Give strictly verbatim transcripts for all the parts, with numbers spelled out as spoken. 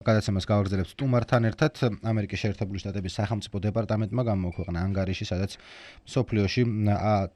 გადაცემას გავაგრძელებთ სტუმართან ერთად. ამერიკის შეერთებული შტატების სახელმწიფო დეპარტამენტმა გამოაქვეყნა ანგარიში, სადაც მსოფლიოში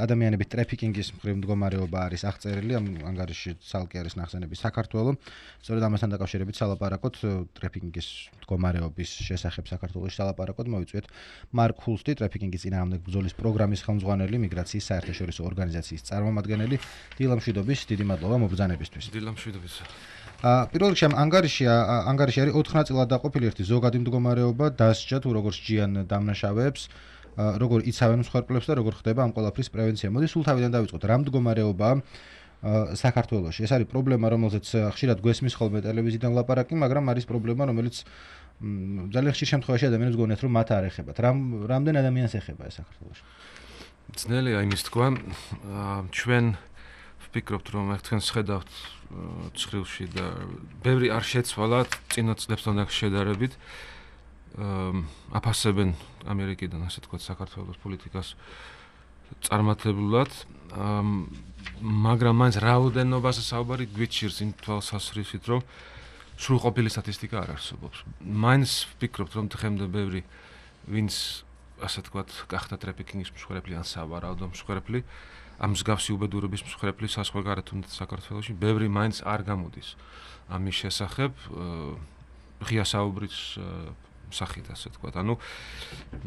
ადამიანების ტრაფიკინგის მხრივ მდგომარეობა არის აღწერილი. ამ ანგარიში ცალკე არის ნახსენები საქართველოს. სწორედ ამასთან დაკავშირებით სალაპარაკოთ ტრაფიკინგის მდგომარეობის შესახებ საქართველოში სალაპარაკოთ მოვიწვიეთ მარკ ჰულსტი, ტრაფიკინგის წინააღმდეგ ბრძოლის პროგრამის ხელმძღვანელი, მიგრაციის საერთაშორისო ორგანიზაციის წარმომადგენელი. დილა მშვიდობის, დიდი მადლობა მობრძანებისთვის. დილა მშვიდობის. პირველ რიგში ამ ანგარიში ანგარიში არის ოთხ ნაწილად დაყოფილი. ერთი ზოგადი მდგომარეობა, დასჯა თუ როგორ სჯიან დამნაშავეებს, როგორ იცავენ მსხვერპლებს და როგორ ხდება ამ ყველაფრის პრევენცია. მოდი სულ თავიდან დავიწყოთ. რა მდგომარეობაა საქართველოში? ეს არის პრობლემა, რომელზეც ხშირად გვესმის ხოლმე ტელევიზიიდან ლაპარაკი, მაგრამ არის პრობლემა, რომელიც ძალიან ხშირ შემთხვევაში ადამიანებს გონიათ, რომ მათ არ ეხებათ. რამ რამდენ ადამიანს ეხება ეს საქართველოში? ძნელია იმის თქვა. ჩვენ ვფიქრობთ, რომ ერთ თქვენს ხედავთ ცხრილში და ბევრი არ შეცვალა წინა წლებთან შედარებით. აფასებენ ამერიკიდან, ასე თქვა, საქართველოს პოლიტიკას წარმართლებლად, მაგრამ მაინც რაოდენობაზე საუბარი გვიჩირს იმ თვალსაზრისით, რომ სრულყოფილი სტატისტიკა არ არსებობს. მაინც ვფიქრობთ, რომ დღემდე ბევრი ვინც ასე თქვა გახდა ტრაფიკინგის მსხვერპლი ან სავარაუდო მსხვერპლი, ამ მსგავსი უბედურების მსხვერპლი საზღვარგარეთ თუნდაც საქართველოში, ბევრი მაინც არ გამოდის ამის შესახებ ღია საუბრის სახით, ასე თქვა. ანუ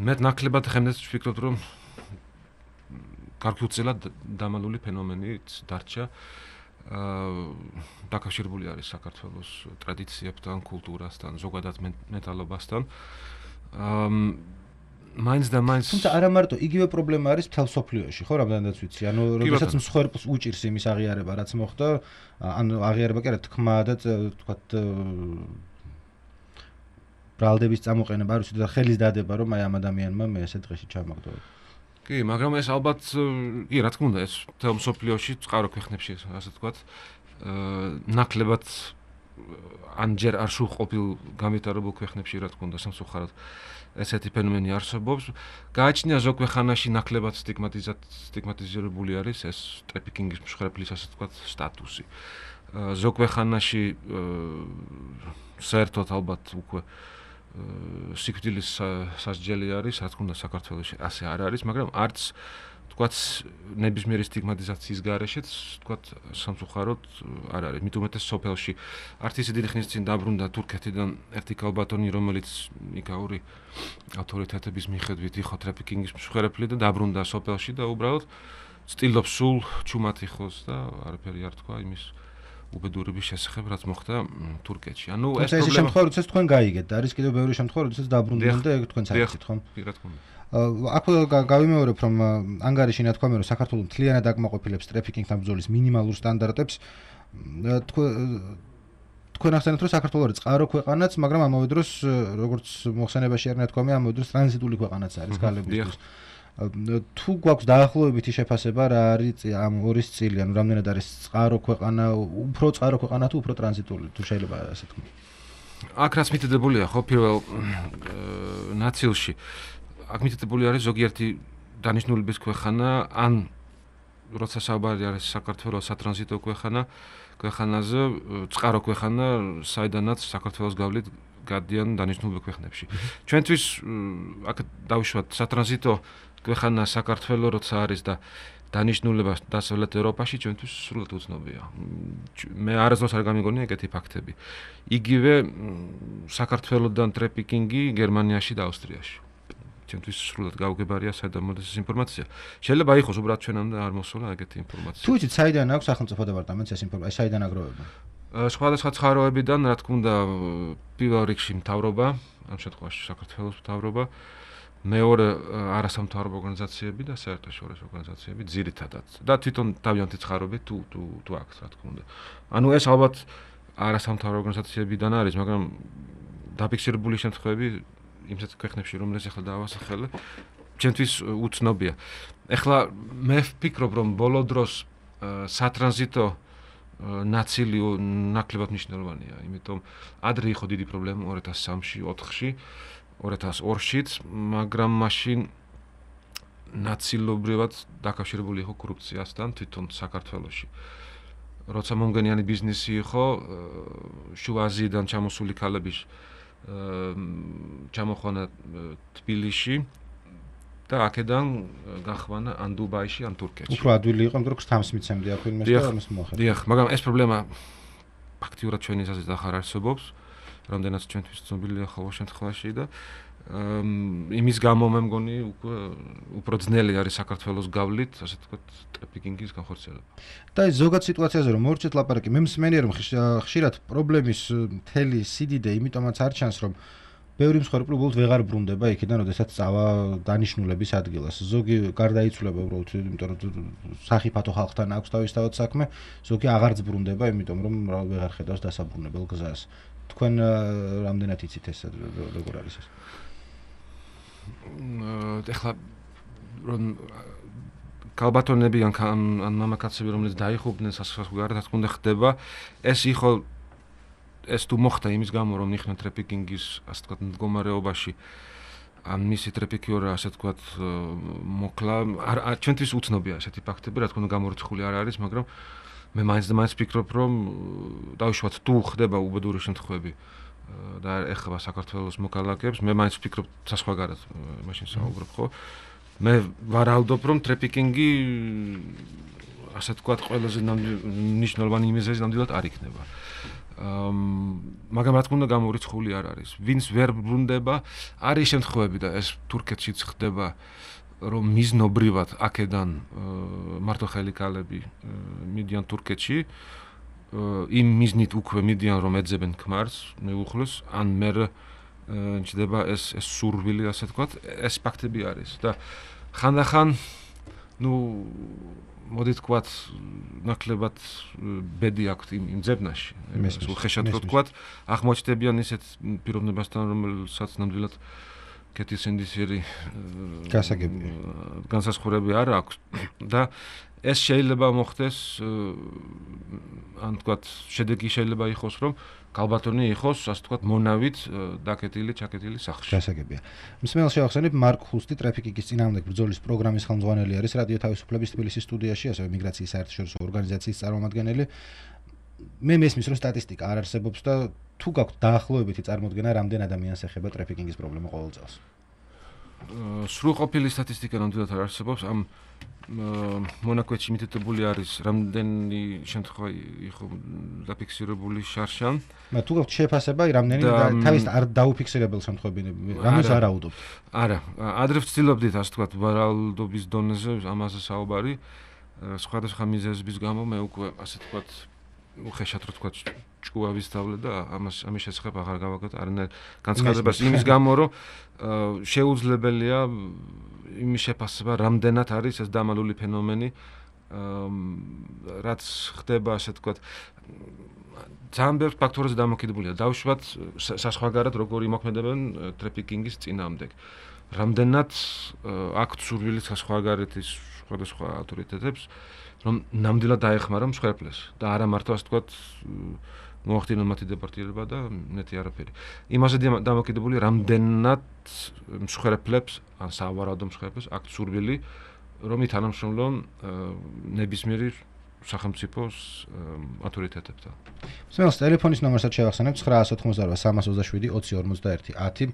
მე ნაკლებად ხემდე ვფიქრობ, რომ გარკვეულწილად დამალული ფენომენით დარჩა. დაკავშირებული არის საქართველოს ტრადიციებთან, კულტურასთან, ზოგადად მენტალობასთან. მაინც და მაინც თუმცა არა მარტო იგივე პრობლემა არის მთელ სოფლიოში, ხო, რამდენადაც ვიცი. ანუ როდესაც მსხვერპლს უჭირს იმის აღიარება, რაც მოხდა, ანუ აღიარება კი არა, თქმა და თქვათ ბრალდების წამოყენება, არ ვიცი, და ხელის დადება, რომ აი ამ ადამიანმა მე ესე დღეში ჩამაგდო. კი, მაგრამ ეს ალბათ კი, რა თქმა უნდა, ეს მთელ სოფლიოში წყარო ქვეყნებში, ასე თქვათ, ნაკლებად ან ჯერ არ სრულყოფილ განვითარებულ ქვეყნებში, რა თქმა უნდა, სამწუხაროდ ესეთი ფენომენი არსებობს. გააჩნია ზოგ ქვეყანაში ნაკლებად სტიგმატიზირებული არის ეს ტრაფიკინგის მსხვერპლის, ასე თქვათ, სტატუსი. ზოგ ქვეყანაში საერთოდ ალბათ უკვე სიკვდილის სასჯელი არის, რა თქმა უნდა, საქართველოში ასე არ არის, მაგრამ არც თქვათ ნებისმიერი სტიგმატიზაციის გარეშეც, თქვათ, სამწუხაროდ არ არის. მით უმეტეს სოფელში არც ისე დიდი ხნის წინ დაბრუნდა თურქეთიდან ერთი ქალბატონი, რომელიც იგავური ავტორიტეტების მიხედვით იყო ტრაფიკინგის მსხვერპლი და დაბრუნდა სოფელში და უბრალოდ ცდილობს სულ ჩუმად იყოს და არაფერი არ თქვა იმის უბედურების შესახებ, რაც მოხდა თურქეთში. ანუ ეს პრობლემა შემთხვევა, როდესაც თქვენ გაიგეთ და არის კიდევ ბევრი შემთხვევა, როდესაც დაბრუნდნენ და ეგ თქვენც აიცით, ხო? კი, რა თქმა უნდა. აქ გავიმეორებ, რომ ანგარიში ნათქვამია, რომ საქართველოს მთლიანად აკმაყოფილებს ტრაფიკინგთან ბრძოლის მინიმალურ სტანდარტებს. თქვენ ახსენეთ, რომ საქართველოს არის წყარო ქვეყანაც, მაგრამ ამავე დროს, როგორც მოხსენებაში არ ნათქვამია, ამავე დროს ტრანზიტული ქვეყანაც არის გალებისთვის. თუ გვაქვს დაახლოებითი შეფასება, რა არის ამ ორის წილი, ანუ რამდენად არის წყარო ქვეყანა, უფრო წყარო ქვეყანა თუ უფრო ტრანზიტული, თუ შეიძლება ასე თქვა. აქ რაც მითითებულია, ხო, პირველ ნაწილში აქ მითითებული არის ზოგიერთი დანიშნულების ქვეყანა, ან როცა საუბარი არის საქართველოს სატრანზიტო ქვეყანა, ქვეყანაზე, წყარო ქვეყანა, საიდანაც საქართველოს გავლით გადიან დანიშნულ ქვეყნებში. ჩვენთვის აქ დავუშვათ სატრანზიტო ქვეყანა საქართველოს როცა არის და დანიშნულება დასავლეთ ევროპაში ჩვენთვის სრულად უცნობია. მე არასდროს არ გამიგონია ეგეთი ფაქტები. იგივე საქართველოსდან ტრაფიკინგი გერმანიაში და ავსტრიაში. ჩვენთვის სრულად გაუგებარია საიდან მოდის ეს ინფორმაცია. შეიძლება იყოს უბრალოდ ჩვენამდე არ მოსულა ეგეთი ინფორმაცია. თუ იცით, საიდან აქვს სახელმწიფო დეპარტამენტს ეს ინფორმაცია, საიდან აგროვება? სხვადასხვა წყაროებიდან, რა თქმა უნდა, პირველ რიგში მთავრობა, ამ შემთხვევაში საქართველოს მთავრობა, მეორე არასამთავრობო ორგანიზაციები და საერთაშორისო ორგანიზაციები ძირითადად და თვითონ თავიანთი წყაროები თუ თუ თუ აქვს, რა თქმა უნდა. ანუ ეს ალბათ არასამთავრობო ორგანიზაციებიდან არის, მაგრამ დაფიქსირებული შემთხვევები იმსეთ ქვეყნებში, რომელიც ახლა დავასახელე, ჩვენთვის უცნობია. ეხლა მე ვფიქრობ, რომ ბოლო დროს სატრანზიტო ნაწილი ნაკლებად მნიშვნელოვანია, იმიტომ ადრე იყო დიდი პრობლემა ორი ათას სამში, ოთხში, ორი ათას ორშიც, მაგრამ მაშინ ნაწილობრივად დაკავშირებული იყო კორუფციასთან თვითონ საქართველოში. როცა მომგენიანი ბიზნესი იყო, შუა აზიიდან ჩამოსული ქალები ჩამოხვანა თბილისში და აქედან გახვანა ან დუბაიში, ან თურქეთში. უფრო ადვილი იყო, მაგრამ თამს მიცემდი აქ ვინმეს და ამას მოახერხა. დიახ, მაგრამ ეს პრობლემა ფაქტიურად ჩვენი აზრით აღარ არსებობს, რამდენიც ჩვენთვის ცნობილია ყოველ შემთხვევაში და იმის გამო მე მგონი უკვე უფრო ძნელი არის საქართველოს გავლით, ასე ვთქვათ, ტრაფიკინგის განხორციელება. და ეს ზოგად სიტუაციაზე რომ მორჩეთ ლაპარაკი, მე მსმენია რომ ხშირად პრობლემის მთელი სიდიდე იმიტომაც არ ჩანს, რომ ბევრი მსხვერპლი უბრალოდ ვეღარ ბრუნდება იქიდან, როდესაც წავა დანიშნულების ადგილას. ზოგი გარდაიცვლება უბრალოდ, იმიტომ რომ სახიფათო ხალხთან აქვს თავისთავად საქმე, ზოგი აღარც ბრუნდება, იმიტომ რომ ვეღარ ხედავს დასაბრუნებელ გზას. თქვენ რამდენად იცით ეს როგორ არის ეს? ეხლა რომ კალბატონები ან ან მამაკაცები რომლებიც დაიხობდნენ საზღვარგარეთ, რა თქმა უნდა ხდება, ეს იყო ეს თუ მოხდა იმის გამო რომ იხნა ტრაფიკინგის ასე ვთქვათ მდგომარეობაში ან მისი ტრაფიკიორა ასე ვთქვათ მოკლა არ ჩვენთვის უცნობია ესეთი ფაქტები, რა თქმა უნდა გამორიცხული არ არის, მაგრამ მე მაინც და მაინც ვფიქრობ რომ დავუშვათ თუ ხდება უბედური შემთხვევები და ეხება საქართველოს მოკალაკეებს, მე მაინც ვფიქრობ საზღვარგარეთ მაშინ საუბრობ ხო? მე ვარაუდობ რომ ტრაფიკინგი ასე ვთქვათ ყველაზე მნიშვნელოვანი იმიზეზი ნამდვილად არ იქნება. მაგრამ რა თქმა უნდა გამორიცხული არ არის. ვინც ვერ ბრუნდება, არის შემთხვევები და ეს თურქეთშიც ხდება, რომ მიზნობრივად აქედან მარტოხელი ქალები მიდიან თურქეთში, იმ მიზნით უკვე მიდიან რომ ეძებენ ქმარს, მეუხლეს, ან მე ჩდება ეს ეს სურვილი, ასე ვთქვათ, ეს ფაქტები არის და ხანდახან ნუ მოდი თქვათ ნაკლებად ბედი აქვს იმ ძებნაში. სულ ხეშად რო თქვათ, აღმოჩნდებიან ისეთ პიროვნებასთან, რომელსაც ნამდვილად კეთილსინდისიერი გასაგებია. განსაზღვრები არ აქვს და ეს შეიძლება მოხდეს ან თქვათ შედეგი შეიძლება იყოს რომ კალბატონი იყოს ასე ვთქვათ მონავით დაკეტილი, ჩაკეტილი სახლში. გასაგებია. მსმენელს შევახსენებ მარკ ხუსტი ტრაფიკინგის წინააღმდეგ ბრძოლის პროგრამის ხელმძღვანელი არის რადიო თავისუფლების თბილისის სტუდიაში, ასევე მიგრაციის საერთაშორისო ორგანიზაციის წარმომადგენელი. მე მესმის რომ სტატისტიკა არ არსებობს და თუ გაქვთ დაახლოებითი წარმოდგენა რამდენ ადამიანს ეხება ტრაფიკინგის პრობლემა ყოველ წელს? სრულყოფილი სტატისტიკა ნამდვილად არ არსებობს. ამ მონაკვეთში მითითებული არის რამდენი შემთხვევა იყო დაფიქსირებული შარშან. მაგრამ თუ გაქვთ შეფასება, რამდენი თავის არ დაუფიქსირებელ შემთხვევები, რამეს არ აუდობთ? არა, ადრე ვცდილობდით ასე ვთქვათ ვარაუდობის დონეზე ამაზე საუბარი. სხვადასხვა მიზეზების გამო მე უკვე ასე ვთქვათ უხეშად რო თქვა ჭკუა ვისწავლე და ამას ამის შესახებ აღარ გავაკეთე არანაირ განცხადებას იმის გამო რომ შეუძლებელია იმის შეფასება რამდენად არის ეს დამალული ფენომენი რაც ხდება ასე ვთქვათ ძალიან ბევრ ფაქტორზე დამოკიდებულია დავუშვათ საზღვარგარეთ როგორ იმოქმედებენ ტრაფიკინგის წინააღმდეგ რამდენად აქვთ სურვილი საზღვარგარეთის სხვადასხვა ავტორიტეტებს რომ ნამდვილად დაეხმარა მსხვერპლეს და არა მარტო ასე ვთქვათ მოახდინონ მათი დეპორტირება და ნეტი არაფერი. იმაზე დამოკიდებული რამდენად მსხვერპლებს ან სავარაუდო მსხვერპლებს აქვთ სურვილი რომ ითანამშრომლონ ნებისმიერი სახელმწიფოს ავტორიტეტებთან. მსმენელს ტელეფონის ნომერსაც შევახსენებ ცხრა ათი სამას ოცდაშვიდი ოცი ორმოცდაერთი ათი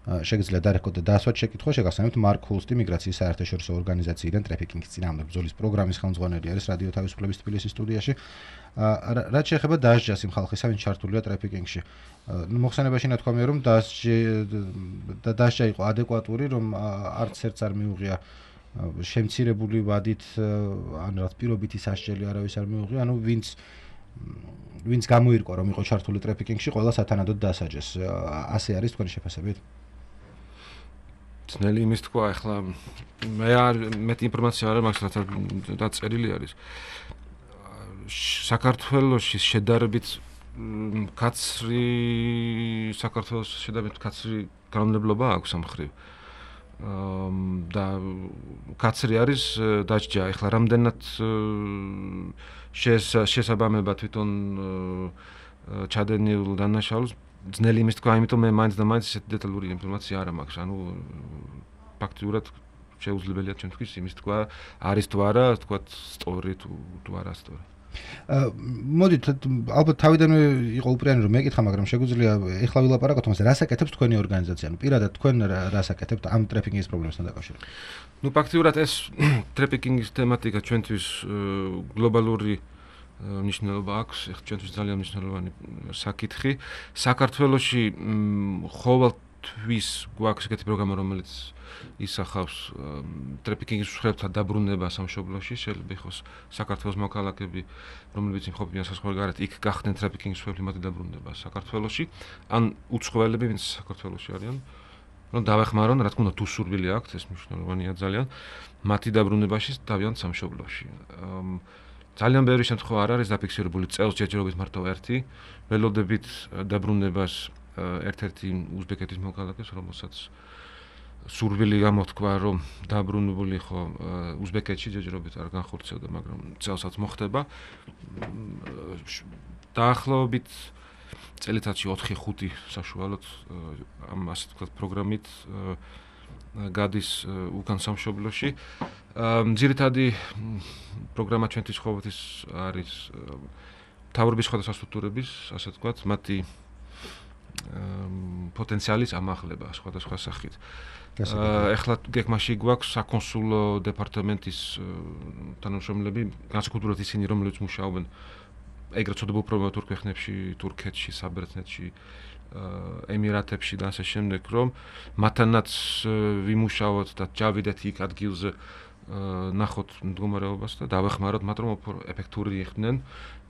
შეგიძლიათ დარეკოთ და დასვათ შეკითხვა შეგახსენებთ მარკ ხუსტი მიგრაციის საერთაშორისო ორგანიზაციიდან ტრაფიკინგის წინააღმდეგ ბრძოლის პროგრამის ხელმძღვანელი არის რადიო თავისუფლების თბილისის სტუდიაში. რაც შეეხება დასჯას იმ ხალხისა, ვინც ჩართულია ტრაფიკინგში. მოხსენებაში ნათქვამია რომ დასჯა იყო ადეკვატური, რომ არც ერთს არ მიუღია შემცირებული ვადით ან რა პირობითი სასჯელი არავის არ მიუღია, ანუ ვინც ვინც გამოირკვა რომ იყო ჩართული ტრაფიკინგში, ყველა სათანადოდ დასაჯეს. ასე არის თქვენი შეფასებით? ძნელი იმის თქვა, ახლა მე არ მეტი ინფორმაცია არ მაქვს, რაც წერილი არის. საქართველოში შედარებით კაცრი საქართველოს შედარებით კაცრი განმავლობა აქვს ამ ხრივ. და კაცრი არის დასჯა. ეხლა რამდენად შესაბამება თვითონ ჩადენილ დანაშაულს ძნელი იმის თქვა, იმიტომ მე მაინც და მაინც ესეთი დეტალური ინფორმაცია არ მაქვს. ანუ ფაქტიურად შეუძლებელია ჩვენთვის იმის თქვა არის თუ არა, თქვა სწორი თუ თუ არა სწორი. მოდით ალბათ თავიდანვე იყო უპირიანი რომ მეკითხა, მაგრამ შეგვიძლია ეხლა ვილაპარაკოთ მას, რას აკეთებს თქვენი ორგანიზაცია? ანუ პირადად თქვენ რას აკეთებთ ამ ტრეფიკინგის პრობლემასთან დაკავშირებით? ნუ ფაქტიურად ეს ტრეფიკინგის თემატიკა ჩვენთვის გლობალური ნიშნულობა აქვს, ეხლა ჩვენთვის ძალიან მნიშვნელოვანი საკითხი. საქართველოში ყოველთვის გვაქვს ეგეთი პროგრამა, რომელიც ისახავს ტრეფიკინგის მსხვერპლთა დაბრუნება სამშობლოში, შეიძლება იყოს საქართველოს მოქალაქეები, რომლებიც იმყოფებიან საზღვარგარეთ, იქ გახდნენ ტრეფიკინგის მსხვერპლი, მათი დაბრუნება საქართველოში, ან უცხოელები, ვინც საქართველოში არიან, რომ დავეხმარონ, რა თქმა უნდა, თუ სურვილი აქვთ, ეს მნიშვნელოვანია ძალიან, მათი დაბრუნებაში დავიან სამშობლოში. ძალიან ბევრი შემთხვევა არ არის დაფიქსირებული, წელს ჯერჯერობით მარტო ერთი, ველოდებით დაბრუნებას ერთ-ერთი უზბეკეთის მოქალაქეს, რომელსაც სურვილი გამოთქვა, რომ დაბრუნებული ხო უზბეკეთში ჯერჯერობით არ განხორციელდა, მაგრამ წელსაც მოხდება. დაახლოებით წელიწადში ოთხი ხუთი საშუალოდ ამ ასე ვთქვათ პროგრამით გადის უკან სამშობლოში. ძირითადი პროგრამა ჩვენთვის ყოველთვის არის მთავრობის სხვადასხვა სტრუქტურების, ასე ვთქვათ, მათი პოტენციალის ამაღლება სხვადასხვა სახით. ეხლა გეგმაში გვაქვს საკონსულო დეპარტამენტის თანამშრომლები, განსაკუთრებით ისინი, რომლებიც მუშაობენ ეგრეთ წოდებულ პრობლემატურ ქვეყნებში, თურქეთში, საბერძნეთში, ემირატებში და ასე შემდეგ, რომ მათთანაც ვიმუშაოთ და ჯავიდეთ იქ ადგილზე ნახოთ მდგომარეობას და დავეხმაროთ მათ, რომ ეფექტური იყვნენ,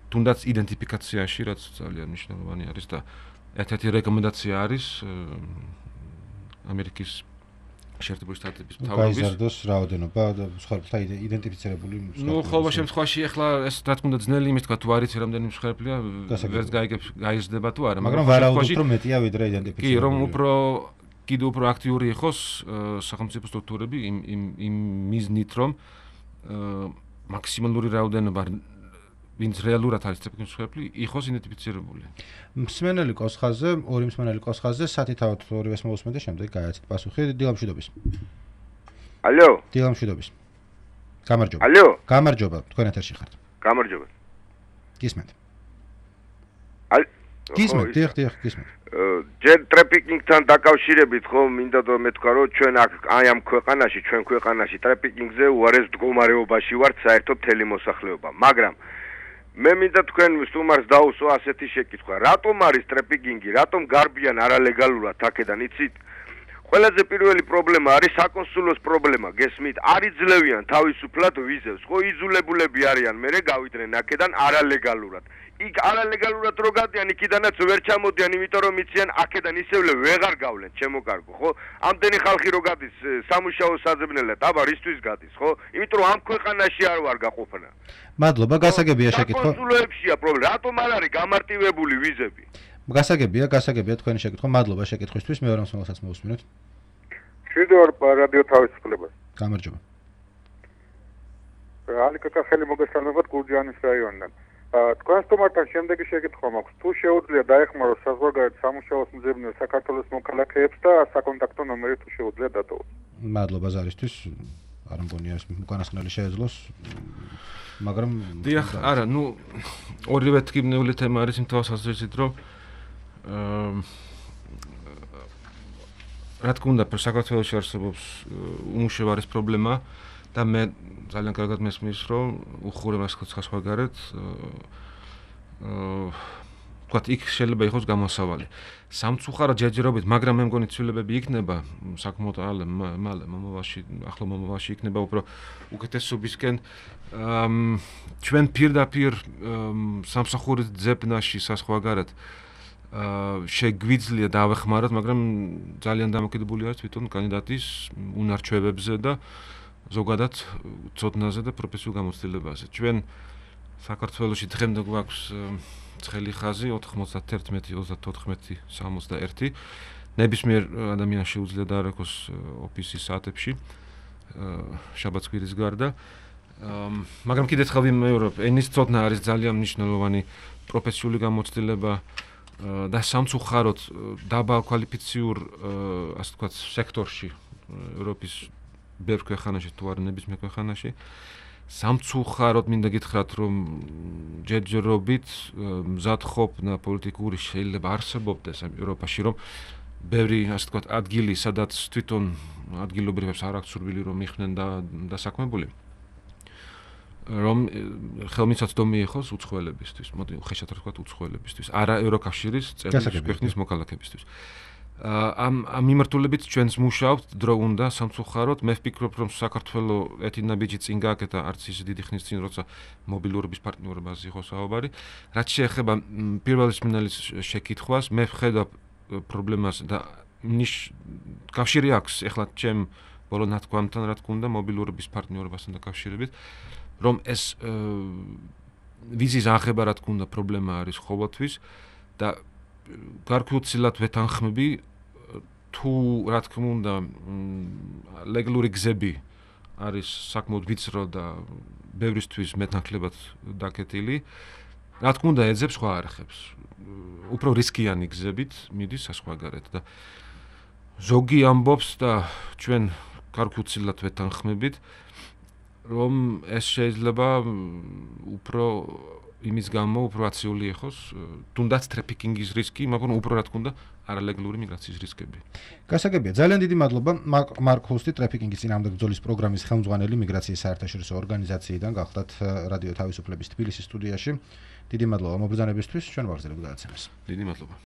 თუნდაც იდენტიფიკაციაში, რაც ძალიან მნიშვნელოვანი არის და ერთ-ერთი რეკომენდაცია არის ამერიკის შეერთებული შტატების მთავრობის გაიზარდოს რაოდენობა და მსხვერპლთა იდენტიფიცირებული მსხვერპლები. ნუ ყოველ შემთხვევაში ახლა ეს რა თქმა უნდა ძნელი იმის თქვა თუ არ იცი რამდენი მსხვერპლია, ვერც გაიგებს გაიზრდება თუ არა, მაგრამ ვარაუდობთ რომ მეტია ვიდრე იდენტიფიცირებული. კი, რომ უფრო კიდევ უფრო აქტიური იყოს სახელმწიფო სტრუქტურები იმ იმ იმ მიზნით, რომ მაქსიმალური რაოდენობა ვინც რეალურად არის ტრეფიკინგის მსხვერპლი, იყოს იდენტიფიცირებული. მსმენელი კოსხაზე, ორი მსმენელი კოსხაზე, სათითაოდ ორივეს მოусმენ და შემდეგ გაიაცეთ პასუხი დილამშვიდობის. ალო. დილამშვიდობის. გამარჯობა. ალო. გამარჯობა, თქვენ ეთერში ხართ. გამარჯობა. გისმენთ. ალ. გისმენთ, დიახ, დიახ, გისმენთ. ჯერ ტრეფიკინგთან დაკავშირებით ხო მინდა და მეთქვა რომ ჩვენ აქ აი ამ ქვეყანაში, ჩვენ ქვეყანაში ტრეფიკინგზე უარეს მდგომარეობაში ვართ საერთოდ მთელი მოსახლეობა, მაგრამ მე მინდა თქვენ სტუმარს დაუსვა ასეთი შეკითხვა. რატომ არის ტრეფიკინგი? რატომ გარბიან არალეგალურად აქედან? იცით? ყველაზე პირველი პრობლემა არის საკონსულოს პრობლემა. გესმით? არ იძლევიან თავისუფლად ვიზებს. ხო იზულებულები არიან, მერე გავიდნენ აქედან არალეგალურად. იქ არალეგალურად რო გადიან, იქიდანაც ვერ ჩამოდიან, იმიტომ რომ იციან აქედან ისევლე ვეღარ გავლენ, ჩემო კარგო, ხო? ამდენი ხალხი რო გადის სამუშაო საძებნელად, აბა რისთვის გადის, ხო? იმიტომ რომ ამ ქვეყანაში არ ვარ გაყოფნა. მადლობა, გასაგებია შეკითხვა. საკონსულოებშია პრობლემა. რატომ არ არის გამარტივებული ვიზები? გასაგებია, გასაგებია თქვენი შეკითხვა. მადლობა შეკითხვისთვის. მეორე მსმენელსაც მოусმინოთ. მშვიდობთ რადიო თავისუფლებას. გამარჯობა. ალიკაკა ხელი მოგესალმებათ გურჯაანის რაიონიდან. თქვენ სტუმართან შემდეგი შეკითხვა მაქვს. თუ შეუძლია დაეხმაროს საზღვარგარეთ სამუშაოს მძებნელ საქართველოს მოქალაქეებს და საკონტაქტო ნომერი თუ შეუძლია დატოვოს. მადლობა ზარისთვის. არ მგონია ეს უკანასკნელი შეეძლოს. მაგრამ დიახ, არა, ნუ ორივე თქმნეული თემა არის იმ თვალსაზრისით, რომ რა თქმა უნდა, საქართველოში არსებობს უმუშევარის პრობლემა და მე ძალიან კარგად მესმის, რომ უხურებას ხასხვალგარეთ აა ვთქვათ, იქ შეიძლება იყოს გამოსავალი. სამწუხაროდ ჯერჯერობით, მაგრამ მე მგონი ცვლილებები იქნება საკმაოდ მალე მომავალში, ახლო მომავალში იქნება უფრო უკეთესობისკენ. ჩვენ პირდაპირ სამსახურის ძებნაში საზღვარგარეთ შეგვიძლია დავეხმაროთ, მაგრამ ძალიან დამოკიდებული არის თვითონ კანდიდატის უნარჩვებებზე და ზოგადად ცოდნაზე და პროფესიულ გამოცდილებაზე. ჩვენ საქართველოში დღემდე გვაქვს ცხელი ხაზი ოთხმოცდაერთი ოცდათოთხმეტი სამოცდაერთი. ნებისმიერ ადამიანს შეუძლია დაარეკოს ოფისის საათებში შაბათ-კვირის გარდა. მაგრამ კიდევ ხალხი მეურვებ, ენის ცოდნა არის ძალიან მნიშვნელოვანი პროფესიული გამოცდილება და სამწუხაროდ დაბალ კვალიფიციურ ასე ვთქვათ სექტორში ევროპის ბევრ ქვეყანაში თუ არ ნებისმიერ ქვეყანაში სამწუხაროდ მინდა გითხრათ, რომ ჯერჯერობით მზადყოფნა პოლიტიკური შეიძლება არსებობდეს ევროპაში, რომ ბევრი, ასე ვთქვათ, ადგილი, სადაც თვითონ ადგილობრივებს არ აქვს სურვილი რომ მიხდნენ და დასაქმებული. რომ ხელმისაწვდომი იყოს უცხოელებისთვის, მოდი ხეშად ვთქვათ უცხოელებისთვის, არა ევროკავშირის წევრი ქვეყნის მოქალაქეებისთვის. ამ ამ მიმართულებით ჩვენს მუშაობთ, დრო უნდა სამწუხაროდ, მე ვფიქრობ, რომ საქართველოს ეთინაბიჯი წინ გააკეთა არც ის დიდი ხნის წინ, როცა მობილურობის პარტნიორობაზე იყო საუბარი. რაც შეეხება პირველი სმინალის შეკითხვას, მე ვხედავ პრობლემას და ნიშ კავშირი აქვს ეხლა ჩემ ბოლო ნათქვამთან, რა თქმა უნდა, მობილურობის პარტნიორობასთან დაკავშირებით, რომ ეს ვიზის აღება, რა თქმა უნდა, პრობლემა არის ყოველთვის და გარკვეულწილად ვეთანხმები თუ რა თქმა უნდა ლეგალური გზები არის საკმაოდ ვიწრო და ბევრისთვის მეტნაკლებად დაკეტილი. რა თქმა უნდა, ეძებს სხვა არხებს. უფრო რისკიანი გზებით მიდის საზღვარგარეთ და ზოგი ამბობს და ჩვენ გარკვეულწილად ვეთანხმებით, რომ ეს შეიძლება უფრო იმის გამო უფრო აციული იყოს, თუნდაც ტრაფიკინგის რისკი, მაგრამ უფრო რა თქმა უნდა, არალეგალური მიგრაციის რისკები. გასაგებია, ძალიან დიდი მადლობა მარკ ჰუსტი, ტრაფიკინგის წინააღმდეგ ბრძოლის პროგრამის ხელმძღვანელი მიგრაციის საერთაშორისო ორგანიზაციიდან გახლდათ რადიო თავისუფლების თბილისის სტუდიაში. დიდი მადლობა მობრძანებისთვის, ჩვენ ვაგრძელებთ გადაცემას. დიდი მადლობა.